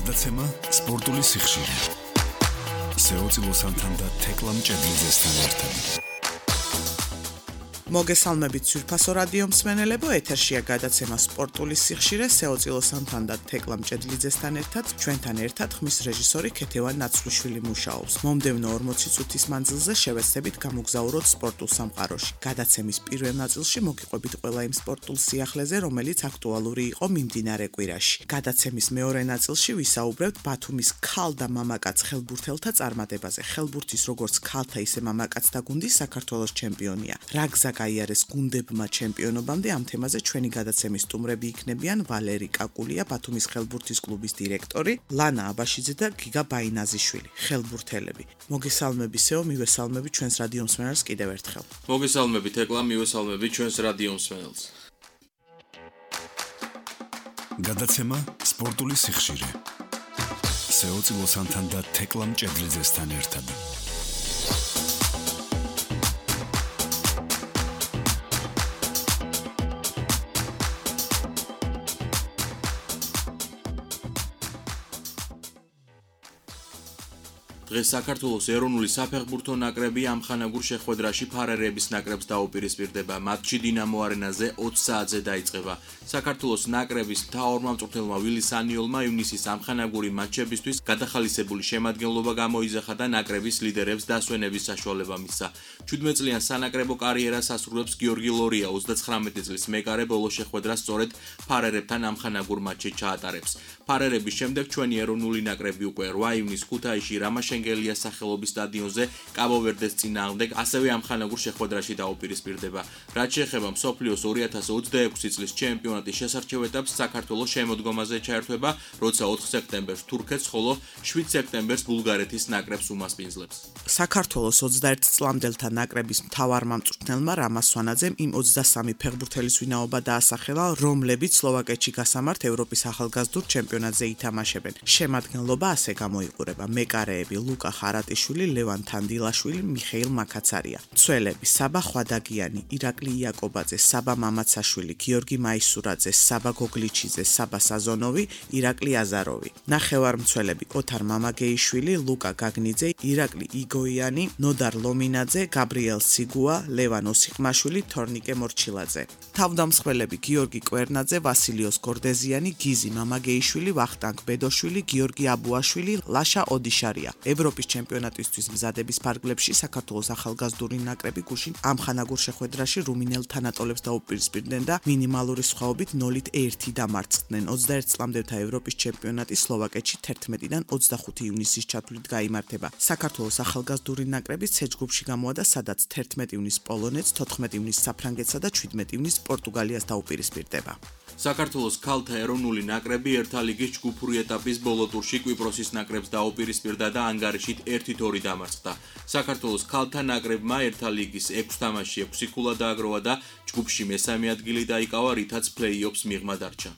გადაცემა სპორტული სიხშირე. სეოწილოსანთან და თეკლამ ჭედლიძესთან ერთად. მოგესალმებით სვირფასო რადიო მსმენელებო, ეთერშია გადაცემა სპორტული სიხშირე სეოწილოსანთან და თეკლამ ჭედლიძესთან ერთად. ჩვენთან ერთად ხმის რეჟისორი ქეთევან ნაცვლიშვილი მუშაობს. მომდევნო 40 წუთის მანძილზე შევეცდებით გამოგზაუროთ სპორტულ სამყაროში. გადაცემის პირველ ნაწილში მოგიყვებით ყველა იმ სპორტულ სიახლეზე, რომელიც აქტუალური იყო მიმდინარე კვირაში. გადაცემის მეორე ნაწილში ვისაუბრებთ ბათუმის ქალ და მამაკაც ხელბურთელთა წარმატებაზე. ხელბურთის როგორც ქალთა, ისე მამაკაცთა გუნდი საქართველოს ჩემპიონია. რა გზა გაიარეს გუნდებმა ჩემპიონობამდე, ამ თემაზე ჩვენი გადაცემის სტუმრები იქნებიან ვალერი კაკულია, ბათუმის ხელბურთის კლუბის დირექტორი, ლანა აბაშიძე და გიგა ბაინაზიშვილი, ხელბურთელები. მოგესალმებისეო, მივესალმები ჩვენს რადიო მსმენელს კიდევ ერთხელ. მოგესალმები თეკლა, მივესალმები ჩვენს რადიო მსმენელს. გადაცემა სპორტული სიხშირე. სეოწილოსანთან და თეკლამ ჭედლიძესთან ერთად. დღეს საქართველოს ეროვნული საფეხბურთო ნაკრები ამხანაგურ შეხვედრაში ფარერების ნაკრებს დაუპირისპირდება. მატჩი დინამო არენაზე 20 საათზე დაიწყება. საქართველოს ნაკრების მთავარმა მწვრთნელმა ვილის ანიოლმა ივნისის ამხანაგური მატჩებისთვის გადახალისებული შემადგენლობა გამოიძახა და ნაკრების ლიდერებს დასვენების საშუალება მისცა. 17 წლიან სანაკრებო კარიერას ასრულებს გიორგი ლორია, 39 წლის მეკარე ბოლო შეხვედრას სწორედ ფარერებთან ამხანაგურ მატჩში ჩაატარებს. ფარერების შემდეგ ჩვენი ეროვნული ნაკრები უკვე 8 ივნის ქუთაისში რამაშენგელიას სახელობის სტადიონზე კაბო-ვერდეს წინააღმდეგ ასევე ამხანაგურ შეხვედრაში დაუპირისპირდება. რაც შეეხება მსოფლიოს 2026 წლის ჩემპიონატის შესარჩევ ეტაპს, საქართველოს შემოდგომაზე ჩაერთვება, როცა 4 სექტემბერს თურქეთს, ხოლო 7 სექტემბერს ბულგარეთის ნაკრებს უმასპინძლებს. საქართველოს 21 წლამდელთა ნაკრების მთავარმა მწვრთნელმა რამაზ სვანაძემ იმ 23 ფეხბურთელის ვინაობა დაასახელა, რომლებიც სლოვაკეთში გასამართ ევროპის ახალგაზრდულ ჩემპიონატზე ითამაშებენ. შემადგენლობა ასე გამოიყურება: მეკარეები ლუკა ხარატიშვილი, ლევან თანდილაშვილი, მიხეილ მაკაცარია. მცველები საბა ხვადაგიანი, ირაკლი იაკობაძე, საბა მამაცაშვილი, გიორგი მაისურაძე, საბა გოგლიჩიძე, საბა საზონოვი, ირაკლი აზაროვი. ნახევარმცველები ოთარ მამაგეიშვილი, ლუკა გაგნიძე, ირაკლი იგოიანი, ნოდარ ლომინაძე, გაბრიელ სიგუა, ლევან ოსიყმაშვილი, თორნიკე მორჩილაძე. თავდამსხმელები გიორგი კვერნაძე, ვასილიოს გორდეზიანი, გიზი მამაგეიშვილი, ვახტანგ ბედოშვილი, გიორგი აბუაშვილი, ლაშა ოდიშარია. ევროპის ჩემპიონატისთვის მზადების ფარგლებში საქართველოს ახალგაზრდული ნაკრები გუშინ ამხანაგურ შეხვედრაში რუმინელ თანატოლებს დაუპირისპირდნენ და მინიმალური სხვაობით 0-1 დამარცხდნენ. 21 წლამდელთა ევროპის ჩემპიონატი სლოვაკეთში 11-დან 25 ივნისის ჩათვლით გაიმართება. საქართველოს ახალგაზრდული ნაკრები C ჯგუფში გამოვიდა, სადაც 11 ივნისს პოლონეთს, 14 ივნისს საფრანგეთსა და 17 ივნისს პორტუგალიას დაუპირისპირდება. საქართველოს ქალთა ეროვნული ნაკრები ერთა ლიგის ჯგუფური ეტაპის ბოლო ტურში კვიპროსის ნაკრებს დაუპირისპირდა და ანგარიშით 1-2 დამარცხდა. საქართველოს ქალთა ნაკრებმა ერთა ლიგის 6 თამაშში 6 ქულა დააგროვა და ჯგუფში მესამე ადგილი დაიკავა, რითაც პლეი-ოფს მიღმა დარჩა.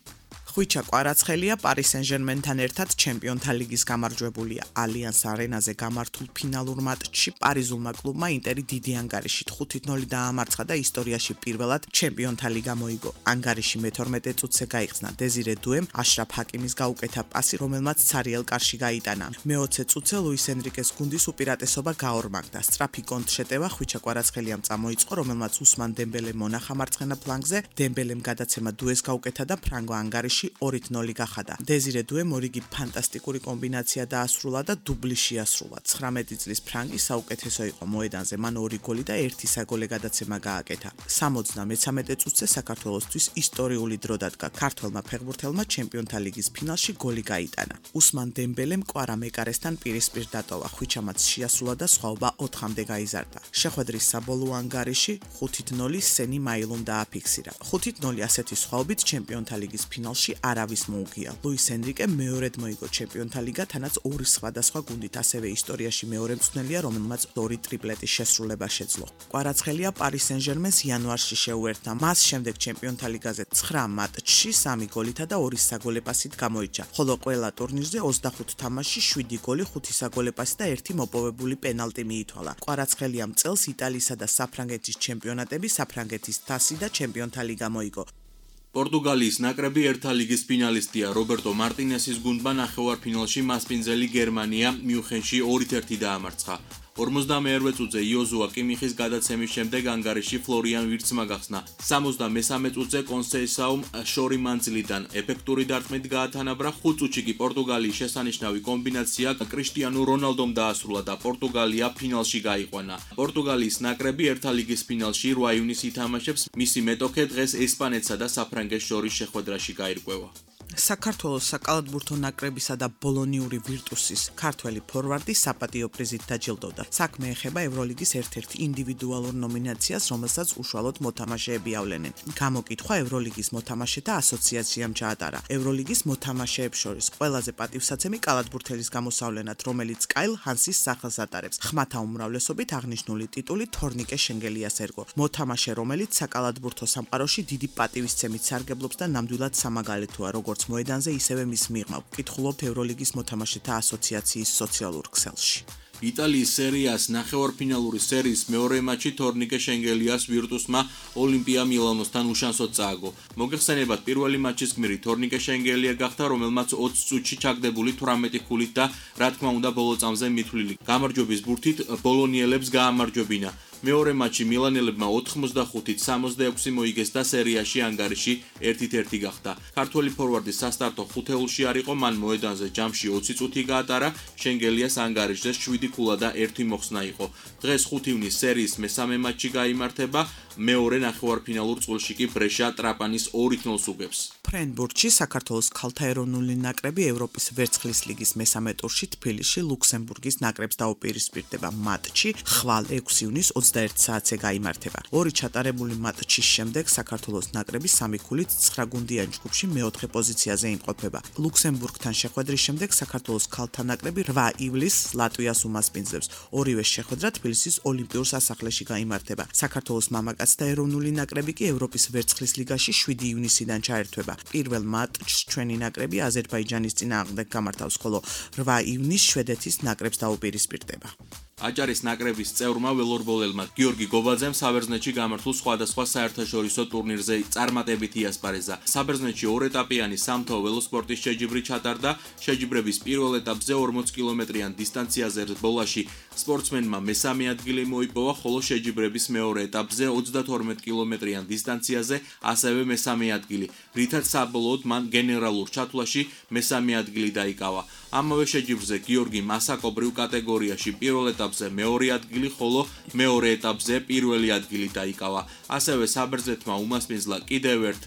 ხვიჩა კვარაცხელია პარი სენ-ჟერმენთან ერთად ჩემპიონთა ლიგის გამარჯვებულია. ალიანს არენაზე გამართულ ფინალურ მატჩში პარიზულმა კლუბმა ინტერი დიდი ანგარიშით 5-0 დაამარცხა და ისტორიაში პირველად ჩემპიონთა ლიგა მოიგო. ანგარიში მე-12 წუთზე გაიხსნა დეზირე დუემ აშრაფ ჰაკიმის გაუკეთა პასი, რომელმაც ცარიელ კარში გაიტანა. მე-20 წუთზე ლუის ენრიკეს გუნდის უპირატესობა გაორმაგდა. სწრაფი კონტრშეტევა ხვიჩა კვარაცხელიამ წამოიწყო, რომელმაც უსმან დემბელე მონახა მარცხენა ფლანგზე, დემბელემ გადაცემა დუეს გაუკეთა და ფრანგო ანგარიში 2-0 გახადა. დეზირე დუემ ორიგი ფანტასტიკური კომბინაცია დაასრულა და დუბლი შეასრულა. 19 წლის ფრანგი საუკეთესო იყო მოედანზე, მან 2 გოლი და 1 საგოლე გადაცემა გააკეთა. 73 წუთზე საქართველოსთვის ისტორიული დრო დადგა. ქართველმა ფეხბურთელმა ჩემპიონთა ლიგის ფინალში გოლი გაიტანა. უსმან დემბელემ კვარა მეკარესთან პირისპირ დატოვა. ხვიჩამაც შეასრულა და სხვაობა 4-მდე გაიზარდა. შეხვედრის საბოლოო ანგარიში 5-0 სენი მაილუმ დააფიქსირა. 5-0 ასეთი სხვაობით ჩემპიონთა ლიგის ფინალში არავის მოუგია. ლუის ენრიკე მეორედ მოიგო ჩემპიონთა ლიგა, თანაც 2 სხვადასხვა გუნდით, ასევე ისტორიაში მეორე მწვრთნელია, რომელმაც 2 ტრიპლეტის შესრულება შეძლო. კვარაცხელია პარი სენ-ჟერმენს იანვარში შეუერთდა. მას შემდეგ ჩემპიონთა ლიგაზე 9 მატჩში 3 გოლითა და 2 საგოლე პასით გამოიჩა, ხოლო ყველა ტურნირზე 25 თამაშში 7 გოლი, 5 საგოლე პასი და 1 მოპოვებული პენალტი მიითვალა. კვარაცხელიამ წელს იტალიისა და საფრანგეთის ჩემპიონატები, საფრანგეთის თასი და ჩემპიონთა ლიგა მოიგო. პორტუგალიის ნაკრები ერთა ლიგის ფინალისტია. რობერტო მარტინესის გუნდმა ნახევარფინალში მასპინძელი გერმანია მიუნხენში 2-1 დაამარცხა. 42 წუთზე იოზუა კიმიხის გადაცემის შემდეგ ანგარიში ფლორიან ვირცმა გახსნა. 63 წუთზე კონსეისაუმ შორი მანძილიდან ეფექტური დარტყმით გაათანაბრა. 5 წუთში კი პორტუგალიის შესანიშნავი კომბინაცია კრისტიანო რონალდომ დაასრულა და პორტუგალია ფინალში გაიყვანა. პორტუგალიის ნაკრები ერთა ლიგის ფინალში 8 ივნისს ითამაშებს. მისი მეტოქე დღეს ესპანეთსა და საფრანგეთს შორის შეხვედრაში გაირკვევა. საქართველოს საკალათბურთო ნაკრებისა და ბოლონიური ვირტუსის ქართველი ფორვარდი საპატიო პრიზით დაჯილდოვდა. საქმე ეხება ევროლიგის ერთ-ერთ ინდივიდუალურ ნომინაციას, რომელსაც უშუალოდ მოთამაშეები ავლენენ. გამოკითხვა ევროლიგის მოთამაშეთა ასოციაციამ ჩაატარა. ევროლიგის მოთამაშეებს შორის ყველაზე პატივსაცემი კალათბურთელის გამოსავლენად, რომელიც კაილ ჰანსის სახელს ატარებს. ხმათა უმრავლესობით აღნიშნული ტიტული თორნიკე შენგელიას ერგო. მოთამაშე, რომელიც საკალათბურთო სამყაროში დიდი პატივისცემით სარგებლობს და ნამდვილად სამაგალითოა, როგორც მოედანზე, ისევე მის მიღმა. ვკითხულობთ ევროლიგის მოთამაშეთა ასოციაციის სოციალურ ქსელში. იტალიის სერიას ნახევარფინალური სერიის მეორე მატჩი თორნიკე შენგელიას ვირტუსმა ოლიმპია მილანოსთან უშანსოდ წააგო. მოგეხსენებათ, პირველი მატჩის გმირი თორნიკე შენგელია გახდა, რომელმაც 20 წუთში ჩაგდებული 18 ქულით და რა თქმა უნდა ბოლო წამზე მithვლილი გამარჯვების ბურთით ბოლონიელებს გაამარჯვებინა. მეორე მატჩი მილანელებმა 85-ით 66 მოიგეს და სერიაში ანგარიში 1-1 გახდა. ქართველი ფორვარდი სასტარტო ხუთეულში არ იყო, მან მოედანზე ჯამში 20 წუთი გაატარა, შენგელიას ანგარიშზე 7 ქულა და 1 მოხსნა იყო. დღეს 5 ივნისს სერიის მესამე მატჩი გაიმართება, მეორე ნახევარფინალურ წყვილში კი ბრეშა ტრაპანის 2-0 უგებს. ფრენბურთში საქართველოს ქალთა ეროვნული ნაკრები ევროპის ვერცხლის ლიგის მესამე ტურში თბილისში ლუქსემბურგის ნაკრებს დაუპირისპირდება. მატჩი ხვალ 6 ივნისს 21 საათზე გაიმართება. ორი ჩატარებული მატჩის შემდეგ საქართველოს ნაკრები 3 ქულით 9 გუნდიან ჯგუფში მეოთხე პოზიციაზე იმყოფება. ლუქსემბურგთან შეხვედრის შემდეგ საქართველოს ქალთა ნაკრები 8 ივლისს ლატვიას უმასპინძლებს. ორივე შეხვედრა თბილისის ოლიმპიურ სასახლეში გაიმართება. საქართველოს მამაკაცთა ეროვნული ნაკრები კი ევროპის ვერცხლის ლიგაში 7 ივნისიდან ჩაერთვება. პირველ მატჩს ჩვენი ნაკრები აზერბაიჯანის წინააღმდეგ გამართავს, ხოლო 8 ივნისს შვედეთის ნაკრებს დაუპირისპირდება. აჭარის ნაკრების წევრმა ველორბოლელმა გიორგი გობაძემ საბერძნეთში გამართულ სხვადასხვა საერთაშორისო ტურნირზე წარმატებით იასპარეზა. საბერძნეთში 2 ეტაპიანი სამთო ველოსპორტის შეჯიბრი ჩატარდა. შეჯიბრების პირველ ეტაპზე 40 კილომეტრიან დისტანციაზე ბოლაში სპორტსმენმა მესამე ადგილი მოიპოვა, ხოლო შეჯიბრების მეორე ეტაპზე 32 კილომეტრიან დისტანციაზე ასევე მესამე ადგილი, რითაც საბოლოოდ მან გენერალურ ჩათვლაში მესამე ადგილი დაიკავა. ამავე შეჯიბრზე გიორგიმ ასაკობრივ კატეგორიაში პირველ ეტაპზე მეორე ადგილი, ხოლო მეორე ეტაპზე პირველი ადგილი დაიკავა. ასევე საბერძნეთმა უმასპინძლა კიდევ ერთ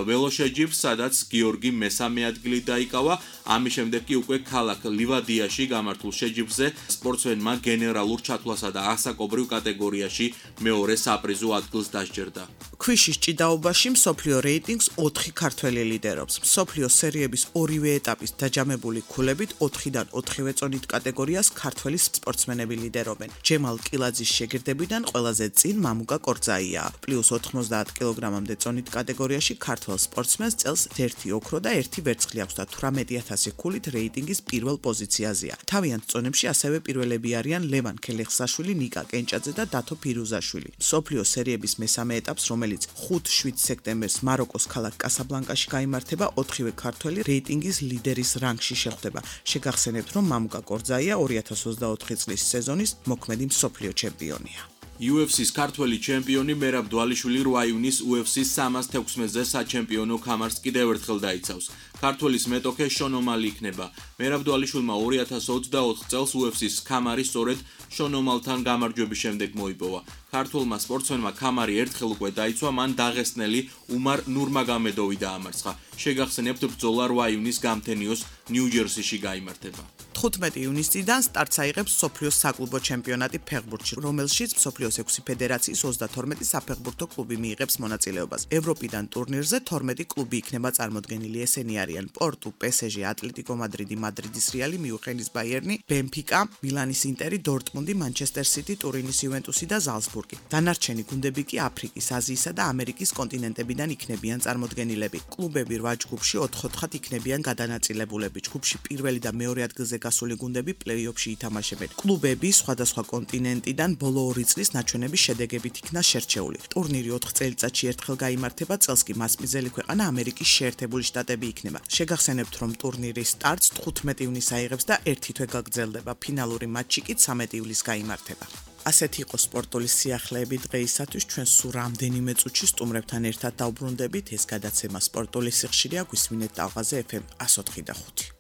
ველოშეჯიბრს, სადაც გიორგიმ მესამე ადგილი დაიკავა. ამის შემდეგ კი უკვე ქალაქ ლივადიაში გამართულ შეჯიბრზე სპორტსმენმა გენერალურ ჩათვლასა და ასაკობრივ კატეგორიაში მეორე საპრიზო ადგილს დასჯერდა. ქვიშის ჭიდაობაში მსოფლიო რეიტინგს 4 ქართველი ლიდერობს. მსოფლიო სერიების ორივე ეტაპის დაჯამებული ქულებით 4-დან 4-ვე წონით კატეგორიას ქართველი სპორტსმენები ლიდერობენ. ჯემალ კილაძის შეგირდებიდან ყველაზე წინ მამუკა კორძაია. პლუს 90 კილოგრამამდე წონით კატეგორიაში ქართველ სპორტსმენს წელს 1 ოქრო და 1 ვერცხლი აქვს და 18000 ქულით რეიტინგის პირველ პოზიციაზეა. თავიანთ წონებში ასევე პირველები არიან ლევან ქელეხსაშვილი, ნიკა კენჭაძე და დათო ფირუზაშვილი. მსოფლიო სერიების მესამე ეტაპს, რომელიც 5-7 სექტემბერს მაროკოს ქალაქ კასაბლანკაში გაიმართება, 4-ვე ქართველი რეიტინგის ლიდერის რანგში შეხვდება. შეგახსენებთ, რომ მამუკა კორძაია 2024 წლის სეზონის მოქმედი მსოფლიო ჩემპიონია. UFC-ს ქართველი ჩემპიონი მერაბ დვალიშვილი 8 ივნისს UFC-ს 316-ზე საჩემპიონო ქამარს კიდევ ერთხელ დაიცავს. ქართველის მეტოქე შონ ომალი იქნება. მერაბ დვალიშვილმა 2024 წელს UFC-ს ქამარი სწორედ შონ ომალთან გამარჯვების შემდეგ მოიპოვა. ქართველმა სპორტსმენმა ქამარი ერთხელ უკვე დაიცვა, მან დაღესტნელი უმარ ნურმაგომედოვი დაამარცხა. შეგახსენებთ, ბრძოლა 8 ივნისს გამთენიოს ნიუ-ჯერსიში გაიმართება. 15 ივნისიდან სტარტს აიღებს მსოფლიოს საკლუბო ჩემპიონატი ფეხბურთში, რომელშიც მსოფლიოს 6 ფედერაციის 32 საფეხბურთო კლუბი მიიღებს მონაწილეობას. ევროპიდან ტურნირზე 12 კლუბი იქნება წარმოდგენილი. ესენი არიან პორტუ, PSG, ატლეტიკო მადრიდი, მადრიდის რეალი, მიუნხენის ბაიერნი, ბენფიკა, მილანის ინტერი, დორტმუნდი, მანჩესტერ სიტი, ტურინის იუვენტუსი და ზალცბურგი. ზალცბურგი. დანარჩენი გუნდები კი აფრიკის, აზიისა და ამერიკის კონტინენტებიდან იქნებიან წარმოდგენილები. კლუბები 8 ჯგუფში 4-4 იქნებიან გადანაწილებულები. ჯგუფში პირველი და მეორე ადგილზე გასული გუნდები პლეი-ოფში ითამაშებენ. კლუბები სხვადასხვა კონტინენტიდან ბოლო 2 წლის ნაჩვენების შედეგებით იქნა შერჩეული. ტურნირი 4 წელიწადში ერთხელ გაიმართება, წელს კი მასპინძელი ქვეყანა ამერიკის შეერთებული შტატები იქნება. შეგახსენებთ, რომ ტურნირის სტარტს 15 ივნისს აიღებს და 1 თვე გაგრძელდება. ფინალური მატჩი კი 13 ივლისს გაიმართება. ასეთი იყო სპორტული სიახლეები დღეისათვის. ჩვენ სულ რამდენიმე წუთში სტუმრებთან ერთად დავბრუნდებით. ეს გადაცემა სპორტული სიხშირეა, გვისმინეთ ტალღაზე FM 104.5.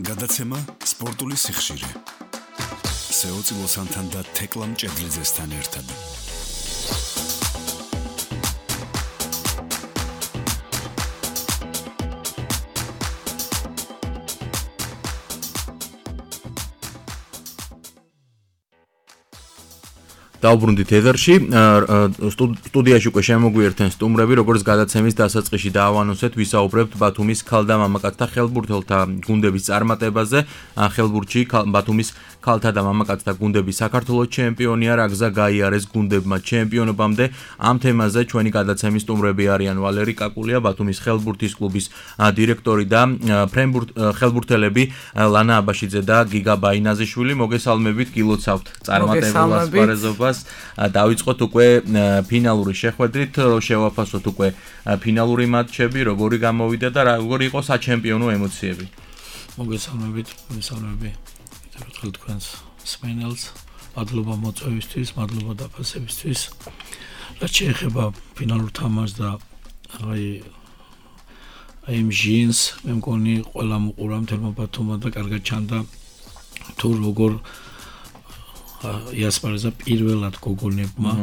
გადაცემა სპორტული სიხშირე. სეოცი ლოსანთან და თეკლა მჭედლიძესთან ერთად. დავბრუნდით ეთერში. სტუდიაში უკვე შემოგვიერთენ სტუმრები, როგორც გადაცემის დასაწყისში დაავანოსეთ, ვისაუბრებთ ბათუმის ქალთა მამაკაცთა ხელბურთელთა გუნდების წარმატებაზე. ხელბურთში ბათუმის ქალთა და მამაკაცთა გუნდები საქართველოს ჩემპიონია, რა გზა გაიარეს გუნდებმა ჩემპიონობამდე. ამ თემაზე ჩვენი გადაცემის სტუმრები არიან ვალერი კაკულია, ბათუმის ხელბურთის კლუბის დირექტორი და ხელბურთელები ლანა აბაშიძე და გიგა ბაინაზიშვილი. მოგესალმებით, გილოცავთ წარმატებულ ასპარეზობას. დავიწყოთ უკვე ფინალური შეხვედრით, შევაფასოთ უკვე ფინალური მატჩები, როგორი გამოვიდა და როგორი იყო საჩემპიონო ემოციები. მოგესალმებით, ერთხელ თქვენს მსმენელს, მადლობა მოწვევისთვის, მადლობა დაფასებისთვის. რაც შეეხება ფინალურ თამაშს და იმ ჟინს, მე მგონი ყველა მოყურა მთელმა ბათუმმა და კარგად ჩანდა თუ როგორ იასპარეზა პირველად გოგონებმა.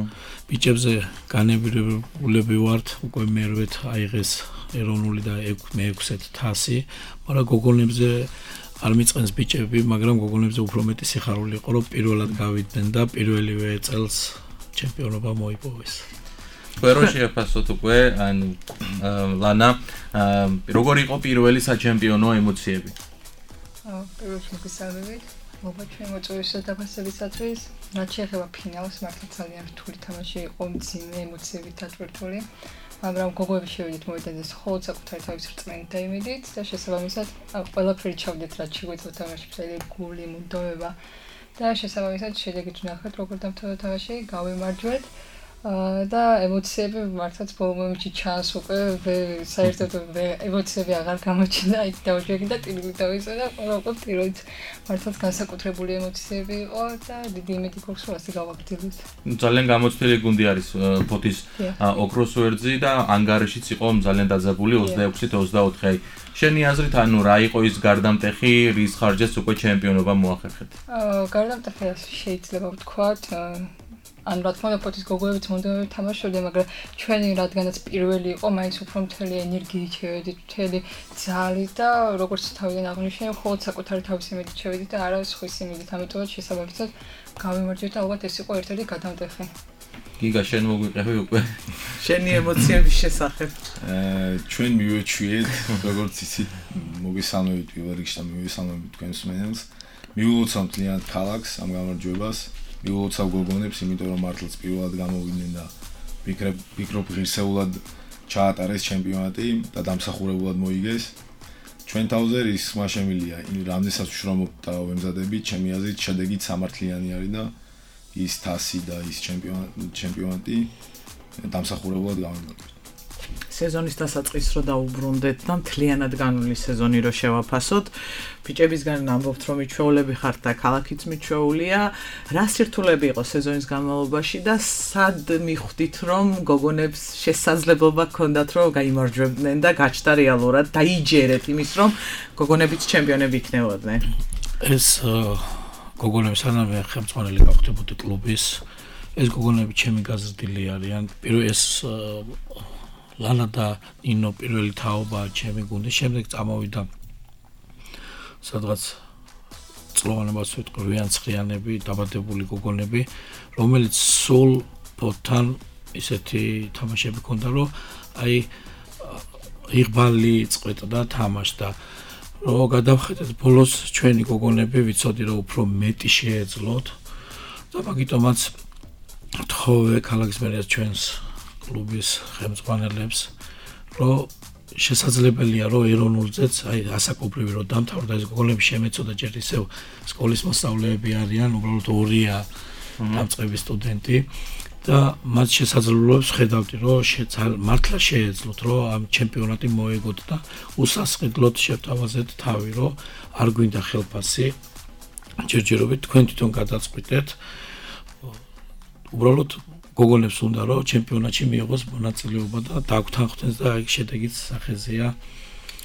ბიჭებზე განებირებულები ვართ, უკვე მერვეთ აიღეს ეროვნული და მე-6 თასი, მაგრამ გოგონებზე არ მიწყენს ბიჭები, მაგრამ გოგონებზე უფრო მეტი სიხარული იყო, რომ პირველად გავიდნენ და პირველივე წელს ჩემპიონობა მოიპოვეს. რო შეაფასოთ უკვე, ლანა, როგორი იყო პირველი საჩემპიონო ემოციები? პირველში მოგესალმებით. ჩვენ მოწვევისა დაფასებისათვის, რაც შეეხება ფინალს, მართლა ძალიან რთული თამაში იყო, მძიმე ემოციებით დატვირთული, მაგრამ გოგოები შევიდით მოედანზე მხოლოდ საკუთარი თავის რწმენით დაიმედით და შესაბამისად ყველაფერი ჩავდეთ, რაც შეგვეძლო თამაშში, გული, მუდმივობა და შესაბამისად შედეგით ვნახეთ, როგორ დამთავრდა თამაში, გავიმარჯვეთ. და ემოციები მართლაც ბოლო მომენტში ჩანს უკვე საერთოდ ემოციები აღარ გამოჩნდა, იქ დავშვიდი და ტირილი დავიწყე და უკვე პირველად მართლაც განსაკუთრებული ემოციები იყო და დიდი იმედი გვაქვს რომ ასე გავაგრძელებთ. ძალიან გამოცდილი გუნდი არის ფოთის ოქროს ვერძი და ანგარიშიც იყო ძალიან დაძაბული 26-24. შენი აზრით, რა იყო ის გარდამტეხი, რის ხარჯზეც უკვე ჩემპიონობა მოახერხეთ? გარდამტეხი შეიძლება ვთქვათ, ან რა თქმა უნდა ფოთის გოგოებიც მონდომებით თამაშობდნენ, მაგრამ ჩვენი რადგანაც პირველი იყო, მაინც უფრო მთელი ენერგიით შევედით, მთელი ძალით და როგორც თავიდან აღნიშნე, მხოლოდ საკუთარი თავის იმედით შევედით და არა სხვის იმედით, ამიტომაც შესაბამისად გავიმარჯვეთ და ალბათ ეს იყო ერთ-ერთი გადამტეხი. გიგა, შენ მოგვიყევი უკვე შენი ემოციების შესახებ. ჩვენ მივეჩვიეთ, როგორც იცით, მოგესალმებით პირველ რიგში და მივესალმებით თქვენს მსმენელს. მივულოცავთ ძალიან ქალაქს ამ გამარჯვებას. მივულოცავ გოგონებს, იმიტომ რომ მართლაც პირველად გამოვიდნენ და ვფიქრობ ღირსეულად ჩაატარეს ჩემპიონატი და დამსახურებულად მოიგეს. ჩვენ თავზე რისკმა შემილია, რამდენსაც ვშრომობ და ვემზადებით, ჩემი აზრით შედეგით სამართლიანი არის და ის თასი და ის ჩემპიონატი დამსახურებულად გამოვიდა. სეზონის დასაწყისს რო დაუბრუნდეთ და მთლიანად განვლილი სეზონი რო შევაფასოთ, ბიჭებისგან ამბობთ რომ მიჩვეულები ხართ და ქალაქიც მიჩვეულია. რა სირთულეები იყო სეზონის განმავლობაში და სად მიხვდით რომ გოგონებს შესაძლებლობა ჰქონდათ რომ გაიმარჯვებდნენ და გაჩნდა რეალურად დაიჯერეთ იმის რომ გოგონებიც ჩემპიონები იქნებოდნენ? ეს გოგონები სანამ ხელმძღვანელი გავხდებოდი კლუბის, ეს გოგონები ჩემი გაზრდილი არიან. პირველ ეს ლანა და ნინო პირველი თაობა ჩემი გუნდის, შემდეგ წამოვიდა სადღაც წლოვანებას ვიტყვი რიანცხრიანები, დაბადებული გოგონები, რომელიც სულ ფოთთან ისეთი თამაშები ქონდა, რომ იღბალი წყვეტდა თამაშდა. რომ გადავხედეთ ბოლოს ჩვენი გოგონები ვიცოდი რომ უფრო მეტი შეეძლოთ, და მაგიტომაც თხოვე ქალაქის მერიას ჩვენს კლუბის ხელმძღვანელებს, რომ შესაძლებელია რომ ეროვნულზეც აი ასაკობრივი რომ დამთავრდა ეს გოგონები შემეწოდა ჯერ ისევ სკოლის მოსწავლეები არიან, უბრალოდ ორია დამწყები სტუდენტი და მათ შესაძლებლობებს ხედავთ რომ მართლა შეეძლოთ რომ ამ ჩემპიონატი მოეგოთ და უსასყიდლოდ შევთავაზეთ თავი რომ არ გვინდა ხელფასი ჯერჯერობით თქვენ თვითონ გადაწყვიტეთ უბრალოდ გოგონებს უნდა რომ ჩემპიონატში მიიღოს მონაწილეობა და დაგვთანხმდეს და აი შედეგიც სახეზეა.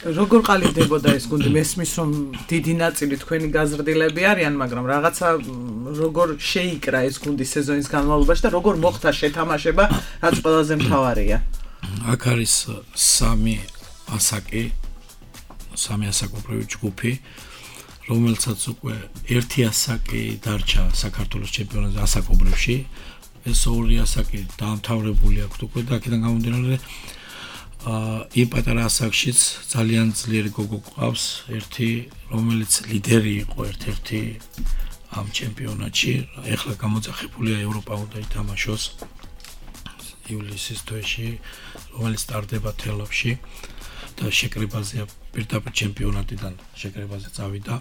როგორ ყალიბდებოდა ეს გუნდი? მესმის რომ დიდი ნაწილი თქვენი გაზრდილები არიან, მაგრამ რაღაცა როგორ შეიკრა ეს გუნდი სეზონის განმავლობაში და როგორ მოხდა შეთამაშება, რაც ყველაზე მთავარია. აქ არის სამი ასაკობრივი ჯგუფი, რომელსაც უკვე ერთი ასაკი დარჩა საქართველოს ჩემპიონატზე ასაკობრივში. ეს ორი ასაკი დაამთავრებული აქვს უკვე და აქედან გამომდინარე იმ პატარა ასაკშიც ძალიან ძლიერი გოგო ყავს ერთი რომელიც ლიდერი იყო ერთ-ერთი ამ ჩემპიონატში ეხლა გამოძახებულია ევროპა უნდა ითამაშოს ივლისის თვეში რომელიც სტარტდება თელავში და შეკრებაზეა პირდაპირ ჩემპიონატიდან შეკრებაზე წავიდა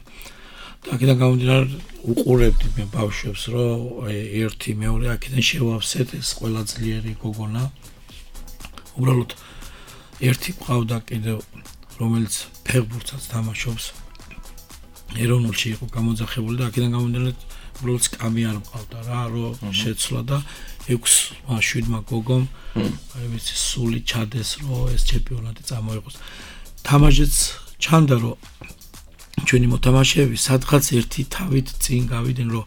და აქედან გამომდინარე უყურებდი მე ბავშვებს რომ ერთი მეორე აქედან შევავსეთ ეს ყველა ძლიერი გოგონა უბრალოდ ერთი ყავდა კიდევ რომელიც ფეხბურთსაც თამაშობს ეროვნულში იყო გამოძახებული და აქედან გამომდინარე უბრალოდ სკამი არ მყავდა რა რომ შეცვლა და 6-7 გოგომ აი ვიცი სული ჩადეს რომ ეს ჩემპიონატი წამოიღოს თამაშიც ჩანდა რომ ჩვენი მოთამაშეები სადღაც ერთი თავით წინ გავიდნენ რომ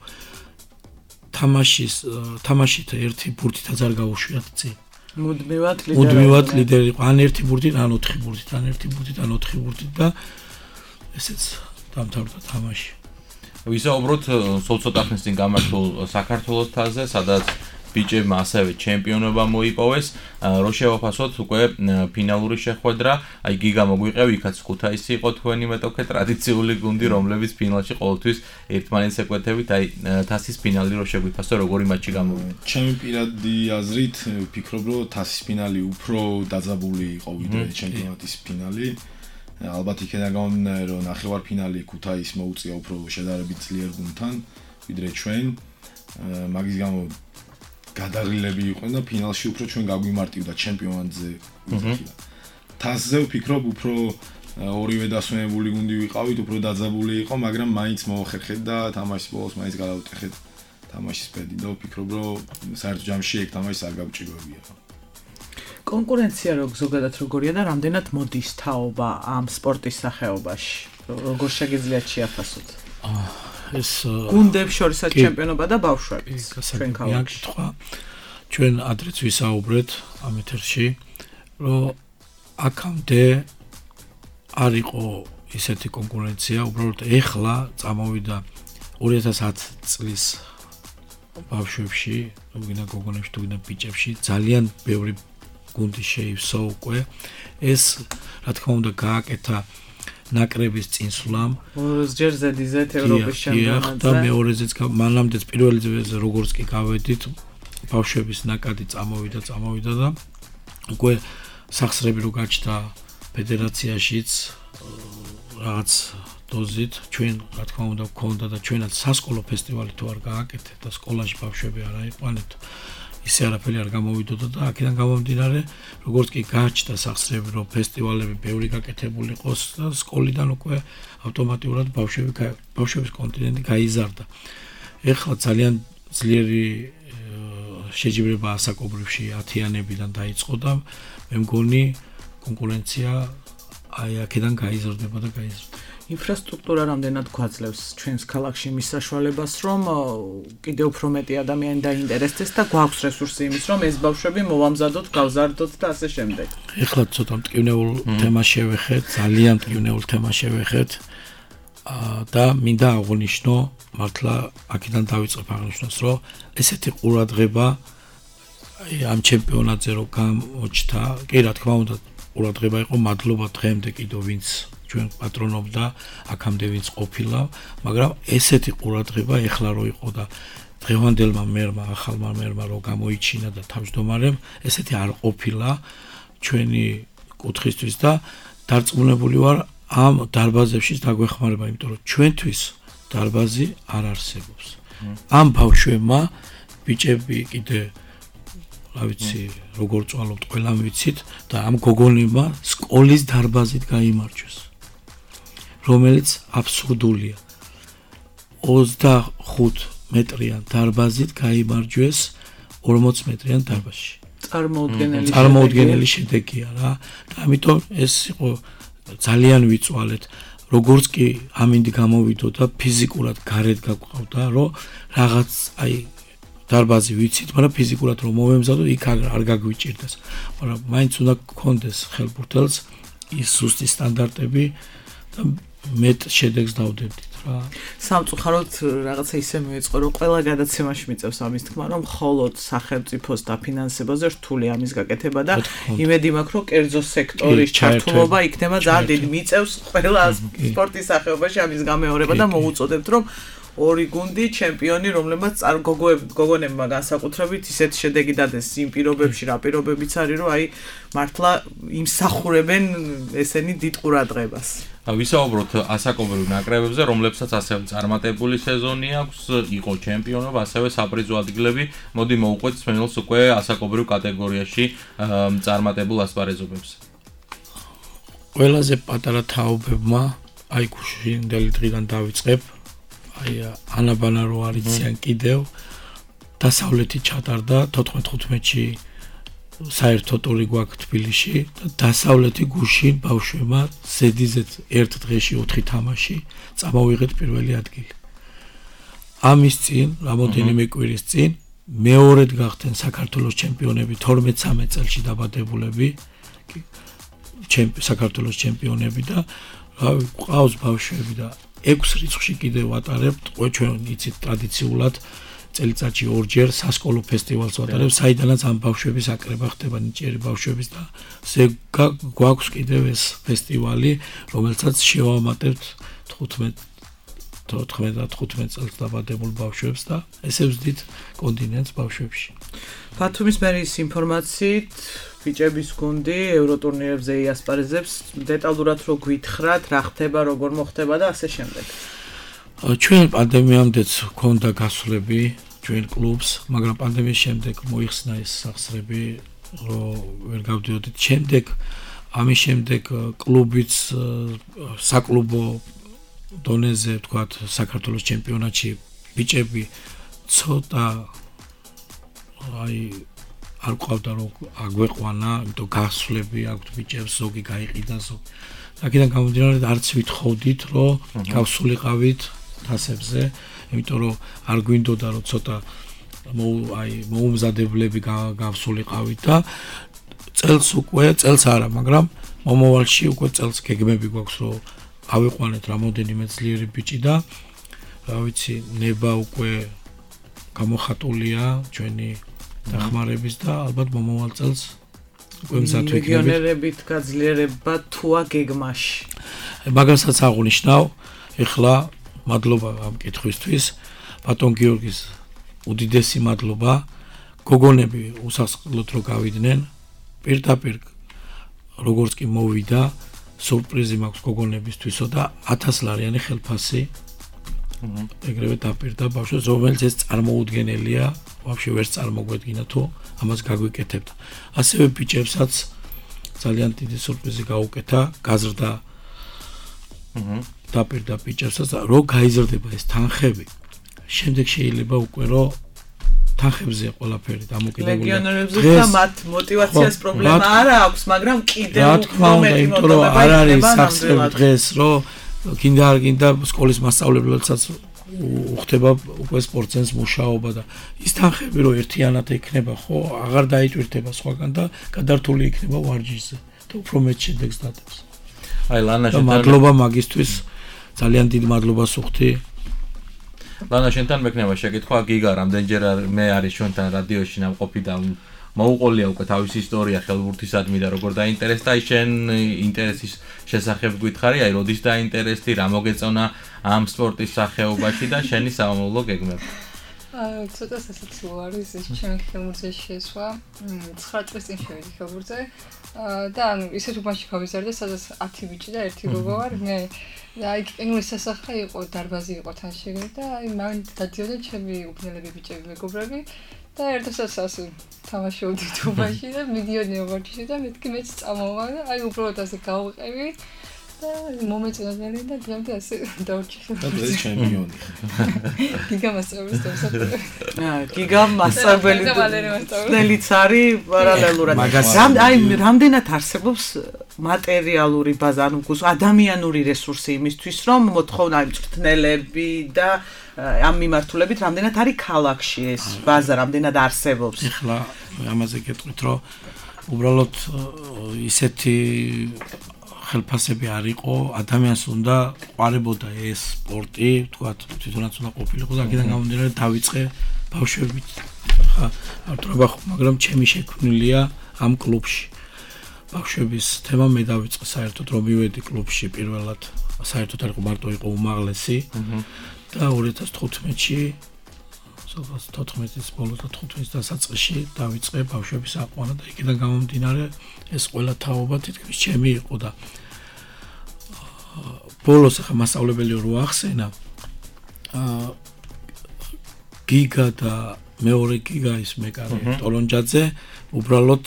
თამაშით ერთი ბურთითაც არ გაუშვიათ წინ მუდმივად ლიდერი იყო ან ერთი ბურთით ან 4 ბურთით ან ერთი ბურთით ან 4 ბურთით და ესეც დამთავრდა თამაში ვისაუბროთ სულ ცოტა ხნის წინ გამართულ საქართველოს თასზე სადაც ბიჭებმა ასევე ჩემპიონობა მოიპოვეს რო შევაფასოთ უკვე ფინალური შეხვედრა აი გიგა მოგვიყევი იქაც ქუთაისი იყო თქვენი მეტოქე ტრადიციული გუნდი რომლებიც ფინალში ყოველთვის ერთმანეთს ეკვეთებით აი თასის ფინალი რო შეგვიფასო როგორი მატჩი გამოვიდა ჩემი პირადი აზრით ვფიქრობ რომ თასის ფინალი უფრო დაძაბული იყო ვიდრე ჩემპიონატის ფინალი ალბათ იქიდან გამომდინარე რომ ნახევარფინალი ქუთაისს მოუწია უფრო შედარებით ძლიერ გუნდთან ვიდრე ჩვენ მაგის გამო გადაღლილები იყვნენ და ფინალში უფრო ჩვენ გაგვიმარტივდა ჩემპიონატზე ვიზახიდა. თასზე ვფიქრობ უფრო ორივე დასვენებული გუნდი ვიყავით, უფრო დაძაბული იყო, მაგრამ მაინც მოახერხეთ და თამაშის ბოლოს მაინც გადავუტეხეთ თამაშის პედი და ვფიქრობ რომ საერთო ჯამში ეგ თამაშს არ გავჭირვებია. კონკურენცია ზოგადად როგორია და რამდენად მოდის თაობა ამ სპორტის სახეობაში? როგორ შეგიძლიათ შეაფასოთ? ეს გუნდებს შორისაც ჩემპიონობა და ბავშვების ჩვენ ქალაქში. ჩვენ ადრეც ვისაუბრეთ ამ ეთერში, რომ აქამდე არ იყო ისეთი კონკურენცია, უბრალოდ ეხლა წამოვიდა 2010 წლის ბავშვებში, თუგინა გოგონებში, თუგინა ბიჭებში ძალიან ბევრი გუნდი შეივსო უკვე. ეს რა თქმა უნდა გააკეთა ნაკრების წინსვლამ ჯერ ზედიზეთ ევროპის ჩემპიონატზე და მეორეზეც მანამდეც პირველზე როგორც კი გავედით ბავშვების ნაკადი წამოვიდა და უკვე სახსრები რო გაჩნდა ფედერაციაშიც რაღაც დოზით ჩვენ რა თქმა უნდა გქონდა და ჩვენაც სასკოლო ფესტივალი თუ არ გააკეთეთ და სკოლაში ბავშვები არ აიყვანეთ ისე არაფერი არ გამოვიდოდა და აქედან გამომდინარე როგორც კი გაჩნდა სახსრები რომ ფესტივალები ბევრი გაკეთებული იყოს და სკოლიდან უკვე ავტომატურად ბავშვების კონტინენტი გაიზარდა. ეხლა ძალიან ძლიერი შეჯიბრება ასაკობრივში 10-იანებიდან დაიწყო და მე მგონი კონკურენცია აი აქედან გაიზარდება და გაიზარდა. ინფრასტრუქტურა რამდენად გვაძლევს ჩვენს ქალაქში მის საშუალებას რომ კიდევ უფრო მეტი ადამიანი დაინტერესდეს და გვაქვს რესურსი იმის რომ ეს ბავშვები მოვამზადოთ, გავზარდოთ და ასე შემდეგ. ეხლა ცოტა მტკივნეულ თემა შევეხეთ, ძალიან მტკივნეულ თემა შევეხეთ და მინდა აღვნიშნო, მართლა აქედან დავიწყებ აღნიშნოს, რომ ესეთი ყურადღება ამ ჩემპიონატზე რო გამოჩნდა, კი რა თქმა უნდა ყურადღება იყო, მადლობა დღემდე კიდევ ვინც ჩვენ პატრონობდა აქამდე ვინც ყოფილა, მაგრამ ესეთი ყურადღება ეხლა რო იყო და დღევანდელმა მერმა, ახალმა მერმა რო გამოიჩინა და თავმჯდომარემ, ესეთი არ ყოფილა ჩვენი კუთხისთვის და დარწმუნებული ვარ ამ დარბაზებში დაგვეხმარება, იმიტომ რომ ჩვენთვის დარბაზი არ არსებობს. ამ ბავშვებმა ბიჭები კიდე რა ვიცი, როგორ წვალობთ, ყველამ ვიცით და ამ გოგონებმა სკოლის დარბაზით გაიმარჯვეს. რომელიც აბსურდულია. 25 მეტრიან დარბაზით გაიმარჯვეს 40 მეტრიან დარბაზში. წარმოუდგენელი შედეგია რა. და ამიტომ ეს იყო ძალიან ვიწვალეთ. როგორც კი ამინდი გამოვიდო და ფიზიკურად გარეთ გაგვყავდა, რომ რაღაც აი დარბაზი ვიცით, მაგრამ ფიზიკურად რომ მოვემზადო, იქ არ გაგვიჭირდეს. მაგრამ მაინც უნდა გქონდეს ხელბურთელს ის ზუსტი სტანდარტები და მეტ შედეგს დავდებდით რა. სამწუხაროდ რაღაცა ისე მიეწყო, რომ ყველა გადაცემაში მიწევს ამის თქმა, რომ მხოლოდ სახელმწიფოს დაფინანსებაზე რთული ამის გაკეთება და იმედი მაქვს, რომ კერძო სექტორის ჩართულობა იქნება ძალიან დიდი. მიწევს ყველა სპორტის სახეობაში ამის გამეორება და მოუწოდებთ, რომ ორი გუნდი ჩემპიონი, რომლებმაც გოგონებმა განსაკუთრებით ისეთი შედეგი დადეს იმ პირობებში, რა პირობებიც არის, რომ აი მართლა იმსახურებენ ესენი დიდ ყურადღებას. ვისაუბროთ ასაკობრივ ნაკრებებზე, რომლებსაც ასევე წარმატებული სეზონი აქვს, იყო ჩემპიონობა, ასევე საპრიზო ადგილები. მოდი მოვუყვეთ მსმენელს უკვე ასაკობრივ კატეგორიაში წარმატებულ ასპარეზობებს. ყველაზე პატარა თაობებმა აი გუშინდელი დღიდან დავიწყებ. აი ანაბანა რო არიციან კიდევ დასავლეთი ჩატარდა 14-15-ში საერთო ტური გვაქვს თბილისში და დასავლეთი გუშინ ბავშვებმა ზედიზედ ერთ დღეში 4 თამაში წამოვიღეთ პირველი ადგილი. ამის წინ, რამოდენიმე კვირის წინ მეორედ გახდნენ საქართველოს ჩემპიონები 12-13 წელში დაბადებულები საქართველოს ჩემპიონები და ყავს ბავშვები და 6 რიცხვში კიდევ ვატარებთ, ჩვენ იცით ტრადიციულად წელიწადში ორჯერ სასკოლო ფესტივალს ვატარებ, საიდანაც ამ ბავშვების აკრება ხდება ნიჭიერი ბავშვების და გვაქვს კიდევ ეს ფესტივალი, რომელსაც შევამატებთ 14-15 წელს დაბადებულ ბავშვებს და ესე ვზდით კონტინენტს ბავშვებში. ბათუმის მერის ინფორმაციით ბიჭების გუნდი ევროტურნირებზე იასპარეზებს, დეტალურად რო გვითხრათ, რა ხდება, როგორ მოხდება და ასე შემდეგ. ჩვენ პანდემიამდეც ჰქონდა გასვლები ჩვენ კლუბს, მაგრამ პანდემიის შემდეგ მოიხსნა ეს სახსრები, რომ ვერ გავდიოდით. შემდეგ ამის შემდეგ კლუბიც საკლუბო დონეზე, თქვათ, საქართველოს ჩემპიონატში ბიჭები ცოტა აი არ ყავდა რომ აგვეყვანა, იმიტომ გასვლები აქვთ ბიჭებს, ზოგი გაიყიდა ზოგი. აქედან გამომდინარე არც ვითხოვდით, რომ გავსულიყავით თასებზე, იმიტომ რომ არ გვინდოდა რომ ცოტა მოუმზადებლები გავსულიყავით და წელს არა, მაგრამ მომავალში უკვე წელს გეგმები გვაქვს, რომ ავიყვანეთ რამოდენიმე ძლიერი ბიჭი და რა ვიცი, ნება უკვე გამოხატულია ჩვენი დახმარების და ალბათ მომავალ წელს უკვე მზად ვიქნებით. ლეგიონერებით გაძლიერება თუა გეგმაში. მაგასაც აღვნიშნავ, ეხლა მადლობა ამ კითხვისთვის, ბატონ გიორგის უდიდესი მადლობა. გოგონები უსასყიდლოდ რო გავიდნენ, პირდაპირ როგორც კი მოვიდა, სურპრიზი მაქვს გოგონებისთვისო და 1000 ლარიანი ხელფასი. ეგრევე დაპირდა ბავშვებს, რომელიც ეს წარმოუდგენელია, ვაფშე ვერც წარმოგვედგინა თუ ამას გაგვიკეთებთ. ასევე ბიჭებსაც ძალიან დიდი სურპრიზი გაუკეთა, გაზრდა დაპირდა ბიჭებსაც, რომ გაიზრდება ეს თანხები. შემდეგ შეიძლება უკვე რომ თანხებზე ყველაფერი დამოკიდებულია. ლეგიონერებზე და მათ мотиваციას პრობლემა არა აქვს, მაგრამ კიდევ მომენტი რომ არ არის სახსრები დღეს, რომ გინდა არ გინდა სკოლის მასწავლებლებსაც უხდება უკვე სპორტსენს მუშაობა და ის თანხები რომ ერთიანად ექნება, ხო, აღარ დაიჭირდება სხვაგან და გადართული იქნება ვარჯიშზე და უფრო მეც შედეგს დადებს. აი ლანა შენთან მადლობა მაგისთვის, ძალიან დიდ მადლობას ვუხდი. ლანა შენთან მექნება შეკითხვა, გიგა რამდენჯერ მე არის ჩვენთან რადიოში ნამყოფი და მოუყოლია უკვე თავისი ისტორია ხელბურთისადმი და როგორ დაინტერესდა შენ ინტერესის შესახებ გითხარი, აი როდის დაინტერესდი, რა მოგეწონა ამ სპორტის სახეობაში და შენი სამომავლო გეგმები. ცოტა სასაცილო არის ეს ჩემი ხელმოძეში შესვა. 9 წლის წინ შევედი ხელმოძე და ანუ ისეთ უბანში გავიზარდე, სადაც 10 ბიჭი და 1 გოგო ვარ. მე და აი ენგლის სასახლე იყო, დარბაზი იყო თან შეგე და აი მან დადიოდნენ ჩემი უბნელები ბიჭები, მეგობრები და ერთადაც ასე თამაშობდით უბანში და მიდიოდნენ უბანში და მეთქი მეც წამოვა და აი უბრალოდ ასე გავყევი. და მომეწონებელი და დღემდე ასე დავრჩი. და დღეს ჩემპიონი. გიგა მასწავლებლის დავსახელე. გიგა მასწავლებელი. ნელიც არის პარალელურად. აი რამდენად არსებობს მატერიალური ბაზა, ანუ ადამიანური რესურსი იმისთვის, რომ მოთხოვნა მწვრთნელები და ამ მიმართულებით რამდენად არის ქალაქში ეს ბაზა, რამდენად არსებობს. ეხლა ამაზე გეტყვით, რომ უბრალოდ ისეთი ხელფასები არ იყო, ადამიანს უნდა ყვარებოდა ეს სპორტი, თქვათ, თვითონაც უნდა ყოფილიყო და აქედან გამომდინარე დავიწყე ბავშვებით. ხა, ავტორობა ხო, მაგრამ ჩემი შექმნილია ამ კლუბში. ბავშვების თემა მე დავიწყე საერთოდ რომ მივედი კლუბში პირველად. საერთოდ არ იყო მარტო იყო უმაღლესი და 2015-ში 14-ის ბოლოს და 15-ის დასაწყისში დავიწყე ბავშვების აყვანა და იქიდან გამომდინარე ეს ყველა თაობა თითქმის ჩემი იყო და ბოლოს ახლა მასწავლებელი რო ახსენა გიგა და მეორე გიგა ის მეკარე ტოლონჯაძე უბრალოდ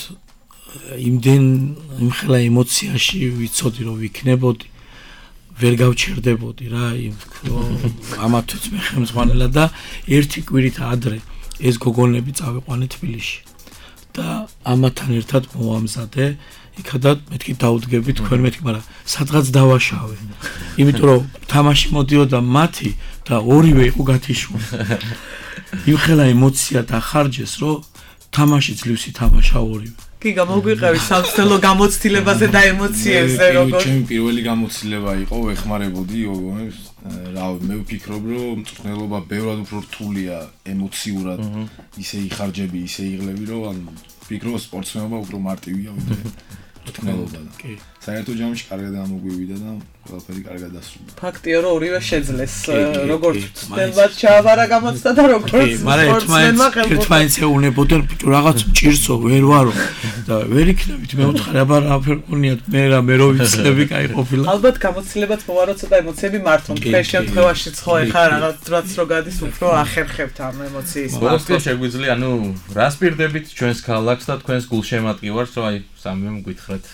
იმხელა ემოციაში ვიცოდი რომ ვიქნებოდი ვერ გავჩერდებოდი რა ამათაც მე ხელმძღვანელად და ერთი კვირით ადრე ეს გოგონები წავიყვანე თბილისში და ამათთან ერთად მოვამზადე იქადაც მეთქი დაუდგები თქვენ მეთქი მაგრამ სადღაც დავაშავე იმიტომ რომ თამაში მოდიოდა მათი და ორივე იყო გათიშული იმხელა ემოცია დახარჯეს რომ თამაში ძლივს ითამაშა ორივე გიგა მოგვიყევი სამწელო გამოცდილებაზე და ემოციებზე როგორ ჩემი პირველი გამოცდილება იყო ვეხმარებოდი გოგონებს რა მე ვფიქრობ რომ მწვრთნელობა ბევრად უფრო რთულია ემოციურად ისე იხარჯები ისე იღლები რომ ან ვფიქრობ სპორტსმენობა უფრო მარტივია ვიდრე მწვრთნელობა კი საერთო ჯამში კარგად ამოგვივიდა და ყველაფერი კარგად დასრულდა ფაქტია რომ ორივე შეძლეს როგორც მწვრთნელად ჩააბარა გამოცდა და როგორც სპორტსმენმა ერთმანეთს ეუნებოდნენ ბიჭო რაღაც მჭირსო ვერ ვარო და ვერ იქნებით მე ვთხარი აბა რა ფერყუნიათ მე რო ვიცლები კაი ყოფილა ალბათ გამოცდილებაც მოვარო ცოტა ემოციები მართონ თქვენ შემთხვევაში ხო ეხა რაღაც რო გადის უფრო ახერხებთ ამ ემოციის მართლა შეგვიძლია ანუ რას პირდებით ჩვენს ქალაქს და თქვენს გულშემატკივარს რომ აი სამივე მგვითხრათ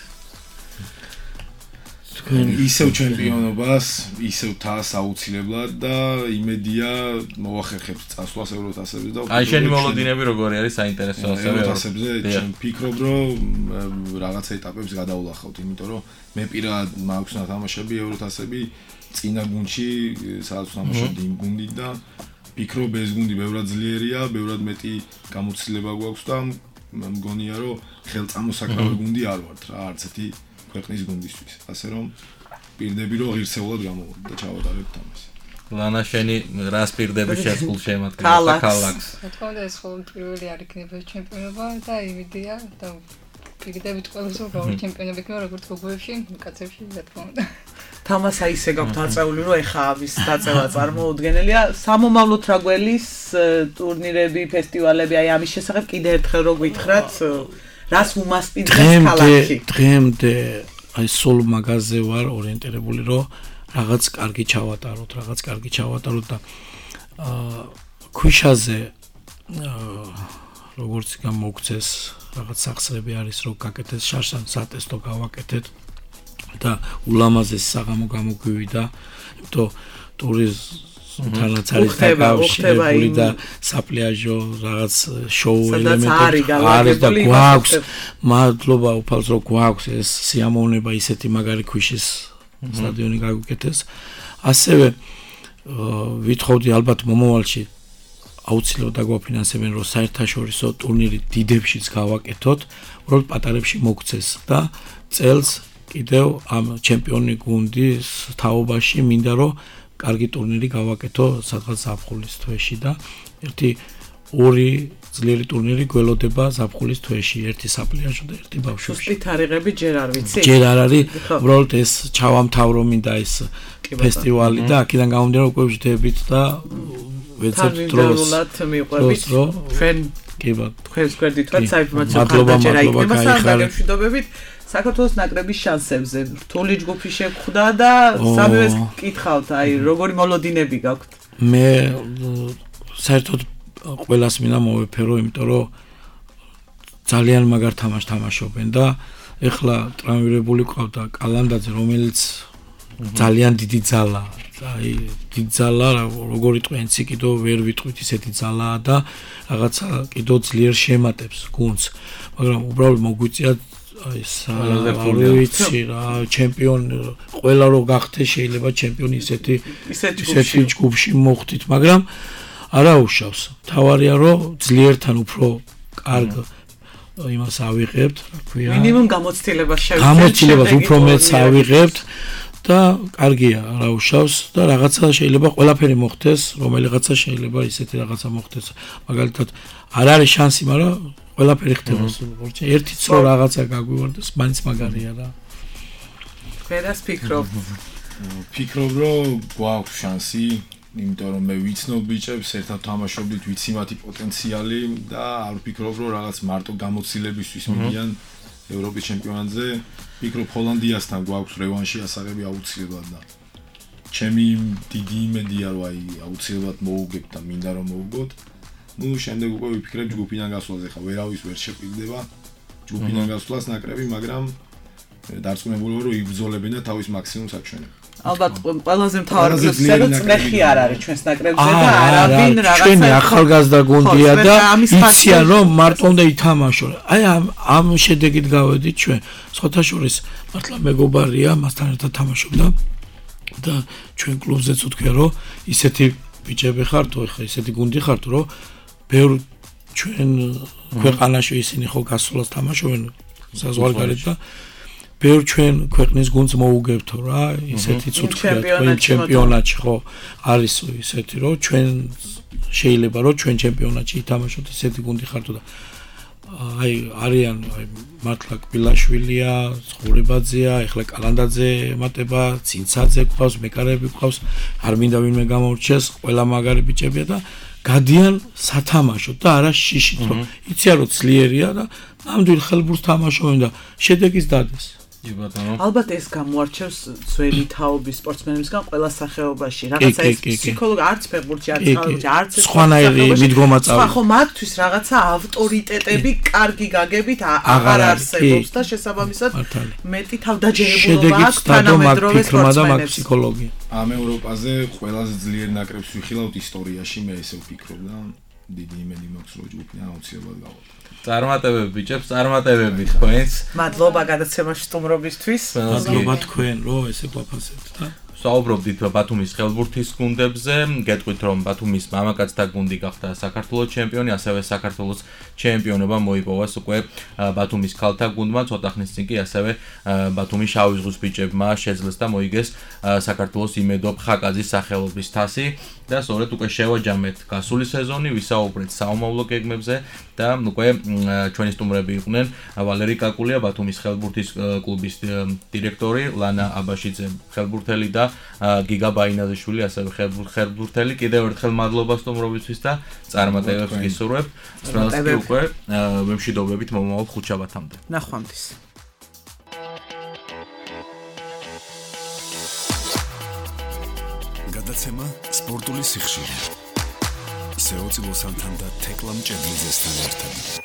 ისევ ჩემპიონობას, ისევ თასს აუცილებლად და იმედია მოახერხებს წასვლას ევროთასებზე და აი შენი მოლოდინები როგორი არის საინტერესო ასევე ევროთასებზე ჩემ ვფიქრობ რომ რაღაცა ეტაპებს გადავლახავთ, იმიტომ რომ მე პირადად მაქვს ნათამაშები ევროთასები წინა გუნდში სადაც თამაშობდი იმ გუნდით და ვფიქრობ ეს გუნდი ბევრად ძლიერია, ბევრად მეტი გამოცდილება გვაქვს და მგონია რომ ხელწამოსაკრავი გუნდი არ ვართ რა არც ერთი ქვეყნის გუნდისთვის, ასე რომ პირდები რომ ღირსეულად გამოვიდეთ და ჩავატარებთ ამას. ლანა შენი რას პირდები შეწყულ შემატკივრს და ქალაქს. რა თქმა უნდა ეს ხოლმე პირველი არ იქნება ჩემპიონობა და იმედია და პირდებით ყველაზე უბრალოდ ჩემპიონები იქნება როგორც გოგოებში, კაცებში რა თქმა უნდა. თამასა ისე გაქვთ აწეული რომ ეხა ამის დაწევა წარმოუდგენელია. სამომავლოდ რა გველის ტურნირები, ფესტივალები, აი ამის შესახებ კიდე ერთხელ რო გითხრათ რას უმასპინძლებს ქალაქში დღემდე აი სულ მაგაზე ვარ ორიენტირებული რომ რაღაც კარგი ჩავატაროთ და ქვიშაზე როგორც გამოგცეს რაღაც სახსრები არის რომ გაკეთეს შარშან სატესტო გავაკეთეთ და ულამაზეს საღამო გამოგვივიდა იმიტომ ტურიზმთანაც არის დაკავშირებული და საპლიაჟო რაღაც შოუ ელემენტები არის და გვაქვს მადლობა უფალს რომ გვაქვს ეს სიამოვნება ისეთი მაგარი ქვიშის სტადიონი გაგვიკეთეს ასევე ვითხოვდი ალბათ მომავალში აუცილებლად დაგვაფინანსებენ რომ საერთაშორისო ტურნირი დიდებშიც გავაკეთოთ უბრალოდ პატარებში მოგცეს და წელს კიდევ ამ ჩემპიონი გუნდის თაობაში მინდა რომ კარგი ტურნირი გავაკეთო სადღაც ზაფხულის თვეში და ორი ძლიერი ტურნირი გველოდება ზაფხულის თვეში ერთი საპლიაჟო და ერთი ბავშვებში. სუსტი თარიღები ჯერ არ ვიცი. ჯერ არ არის, უბრალოდ ეს ჩავამთავრო მინდა ეს ფესტივალი და აქედან გამომდინარე უკვე ვждებით და ვეცებთ დროს მიყვებით ჩვენ კი ბატონო თქვენს გვერდითაც საინფორმაციო ხარჯაჭერა იქნება სამ გამშვიდობებით საქართველოს ნაკრების შანსებზე რთული ჯგუფი შეგხვდა და სამივეს კითხავთ აი როგორი მოლოდინები გაქვთ მე საერთოდ ყველას მინდა მოვეფერო იმიტომ რომ ძალიან მაგარ თამაშს თამაშობენ და ეხლა ტრამვირებული ყავდა კალანდაძე რომელიც ძალიან დიდი ძალაა აი დიდი ძალა როგორი ტვენცი კიდო ვერ ვიტყვით ისეთი ძალაა და რაღაცა კიდო ძლიერ შემატებს გუნდს მაგრამ უბრალოდ მოგვიწია აი ვიცი რა ჩემპიონი ყველა რო გახდე შეიძლება ჩემპიონი ისეთი ჯგუფში მოხდით მაგრამ არა უშავს თავარია რომ ძლიერთან უფრო კარგ იმას ავიღებთ რა ქვია მინიმუმ გამოცდილებას გამოცდილებას უფრო მეც ავიღებთ და კარგია რა უშავს და რაღაცა შეიძლება ყველაფერი მოხდეს რომელიღაცა შეიძლება ისეთი რაღაცა მოხდეს მაგალითად არ არის შანსი მაგრამ ყველაფერი ხდება ერთიც რო რაღაცა გაგვივარდეს მაინც მაგარია რა ვერას ფიქრობ რომ გვაქვს შანსი იმიტომ რომ მე ვიცნობ ბიჭებს ერთად თამაშობდით ვიცი მათი პოტენციალი და არ ვფიქრობ რომ რაღაც მარტო გამოცდილებისთვის მიდიან ევროპის ჩემპიონატზე ფიქრობ ჰოლანდიასთან გვაქვს რევანში ასაღები აუცილებლად და ჩემი დიდი იმედია რომ აი აუცილებლად მოუგებთ და მინდა რომ მოუგოთ ну შემდეგ უკვე ვიფიქრებ ჯგუფიდან გასვლაზე ხა ვერავის ვერ შეყიდდება ჯგუფიდან გასვლას ნაკრები მაგრამ დარწმუნებული ვარ რომ იბრძოლებენ და თავის მაქსიმუმს აჩვენებენ ალბათ ყველაზე მთავარი პლუსია რომ წნეხი არ არის ჩვენს ნაკრებზე და არავინ რაღაცა ჩვენი ახალგაზრდა გუნდია და იციან რომ მარტო უნდა ითამაშო აი ამ შედეგით გავედით ჩვენ სხვათაშორის მართლა მეგობარია მასთან ერთად თამაშობდა და ჩვენ კლუბზეც ვთქვია რომ ისეთი ბიჭები ხართ ხო ისეთი გუნდი ხართ რომ ბევრ ჩვენ ქვეყანაში ისინი ხო გასვლას თამაშობენ საზღვარგარეთ და ბევრ ჩვენ ქვეყნის გუნდს მოუგებთო რა ისეთი ცუთხია თქვენ ჩემპიონატში ხო არის ისეთი რომ ჩვენ შეიძლება რომ ჩვენ ჩემპიონატში ითამაშოთ ისეთი გუნდი ხართო და აი არიან აი მართლა კბილაშვილია, ცხოვრებაძეა, ეხლა კალანდაძე ემატება, ცინცაძე გვყავს, მეკარები გვყავს, არ მინდა ვინმე გამორჩეს, ყველა მაგარი ბიჭებია და გადიან სათამაშოდ და არა შიშით რომ იცია რომ ძლიერია და ნამდვილ ხელბურთს თამაშობენ და შედეგის დადეს. ალბათ ეს გამოარჩევს ძველი თაობის სპორტსმენებისგან ყველა სახეობაში. რაღაცა ეს ფსიქოლოგი არც ფეხბურთში არც სხვანაირი მიდგომა წავიდა. ხო, მათთვის რაღაცა ავტორიტეტები კარგი გაგებით აღარ არსებობს და შესაბამისად მეტი თავდაჯერებულობა აქვს თანამედროვე სპორტსმენებს. ამ ევროპაზე ყველაზე ძლიერ ნაკრებს ვიხილავთ ისტორიაში, მე ესე ვფიქრობ და დიდი იმედი მაქვს რომ ჯგუფიდან აუცილებლად გავაკეთოთ. წარმატებები ბიჭებს, წარმატებები თქვენს. მადლობა გადაცემაში სტუმრობისთვის. მადლობა თქვენ რომ ესე გვაფასებთ და საუბრობდით ბათუმის ხელბურთის გუნდებზე, გეტყვით რომ ბათუმის მამაკაცთა გუნდი გახდა საქართველოს ჩემპიონი, ასევე საქართველოს ჩემპიონობა მოიპოვეს უკვე ბათუმის ქალთა გუნდმა, ცოტა ხნის წინ კი ასევე ბათუმის შავი ზღვის ბიჭებმა შეძლეს და მოიგეს საქართველოს იმედო ხაკაძის სახელობის თასი და სწორედ უკვე შევაჯამეთ გასული სეზონი, ვისაუბრეთ საომავლო გეგმებზე და უკვე ჩვენი სტუმრები იყვნენ ვალერი კაკულია, ბათუმის ხელბურთის კლუბის დირექტორი, ლანა აბაშიძე, ხელბურთელი და გიგა ბაინაზიშვილი, ასევე ხელბურთელი. კიდევ ერთხელ მადლობა სტუმრობისთვის და წარმატებებს გისურვებთ. სწორედ უკვე ვემშვიდობებით მომავალ ხუთშაბათამდე. ნახვამდის. გადაცემა სპორტული სიხშირე. სეოცილოსანთან და თეკლამ ჭედლიძესთან ერთად.